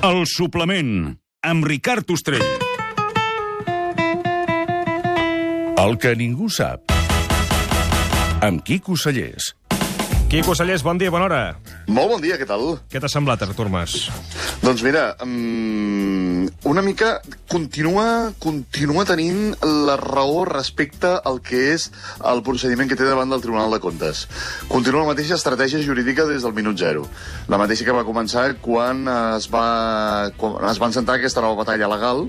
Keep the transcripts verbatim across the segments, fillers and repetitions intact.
El suplement, amb Ricard Ostrell. El que ningú sap. Amb Quico Sallés. Quico Sallés, bon dia, bona hora. Molt bon dia, què tal? Què t'ha semblat, Artur Mas? Doncs mira, um, una mica continua, continua tenint la raó respecte al que és el procediment que té davant del Tribunal de Comptes. Continua la mateixa estratègia jurídica des del minut zero. La mateixa que va començar quan es, va, quan es va encetar aquesta nova batalla legal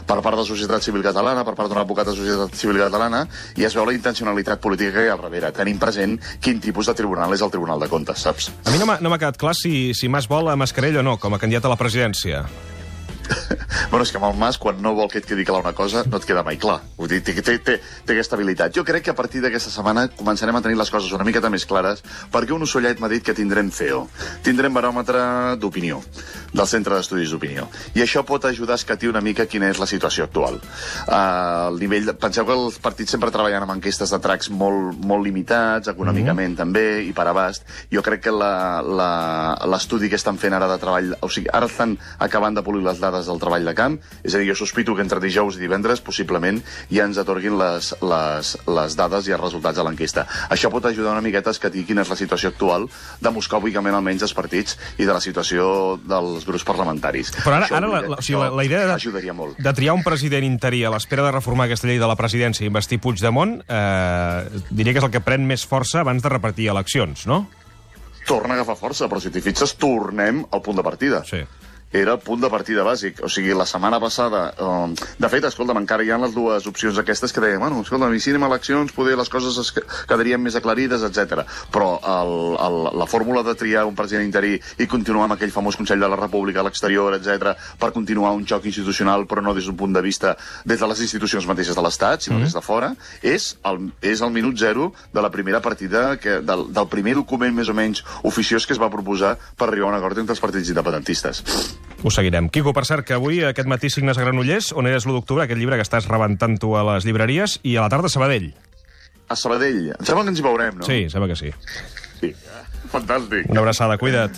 per part de la societat civil catalana, per part d'un advocat de la societat civil catalana, i es veu la intencionalitat política que hi ha al darrere, tenint present quin tipus de tribunal és el Tribunal de Comptes, saps? A mi no m'ha no m'ha quedat clar si, si Mas vol a Mascarell o no, com a candidat a la presidència. Bueno, és que amb el Mas, quan no vol que et quedi clar una cosa, no et queda mai clar. Vull dir, té, té, té, té aquesta habilitat. Jo crec que a partir d'aquesta setmana començarem a tenir les coses una miqueta més clares, perquè un ocellet m'ha dit que tindrem C E O. Tindrem baròmetre d'opinió, del Centre d'Estudis d'Opinió. I això pot ajudar a escatir una mica quina és la situació actual. Uh, el nivell de... Penseu que els partits sempre treballen amb enquestes de tracks molt, molt limitats, econòmicament mm. també, i per abast. Jo crec que l'estudi que estan fent ara de treball... O sigui, ara estan acabant de polir les dades del treball de camp, és a dir, jo sospito que entre dijous i divendres possiblement ja ens atorguin les, les, les dades i els resultats de l'enquesta. Això pot ajudar una miqueta a escatir quina és la situació actual, demoscòpicament almenys dels partits i de la situació dels grups parlamentaris. Però ara, això, ara la, la, o sigui, la, la idea de, ajudaria molt. de triar un president interí a l'espera de reformar aquesta llei de la presidència i investir Puigdemont, eh, diria que és el que pren més força abans de repartir eleccions, no? Torna a agafar força, però si t'hi fixes, tornem al punt de partida. Sí. Era el punt de partida bàsic. O sigui, la setmana passada... Um, de fet, escolta'm, encara hi ha les dues opcions aquestes que deien, bueno, escolta'm, i si anem a eleccions, poder les coses es quedarien més aclarides, etcètera. Però el, el, la fórmula de triar un president interí i continuar amb aquell famós Consell de la República a l'exterior, etcètera, per continuar un xoc institucional, però no des d'un punt de vista des de les institucions mateixes de l'Estat, sinó mm. des de fora, és el, és el minut zero de la primera partida, que, del, del primer document més o menys oficiós que es va proposar per arribar a un acord entre els partits independentistes. Ho seguirem. Quico, per cert, que avui, aquest matí, signes a Granollers, on eres l'u d'octubre, aquest llibre que estàs rebentant tu a les llibreries, i a la tarda a Sabadell. A Sabadell. Em sembla que ens hi veurem, no? Sí, sembla que sí. Sí. Fantàstic. Una abraçada, cuida't.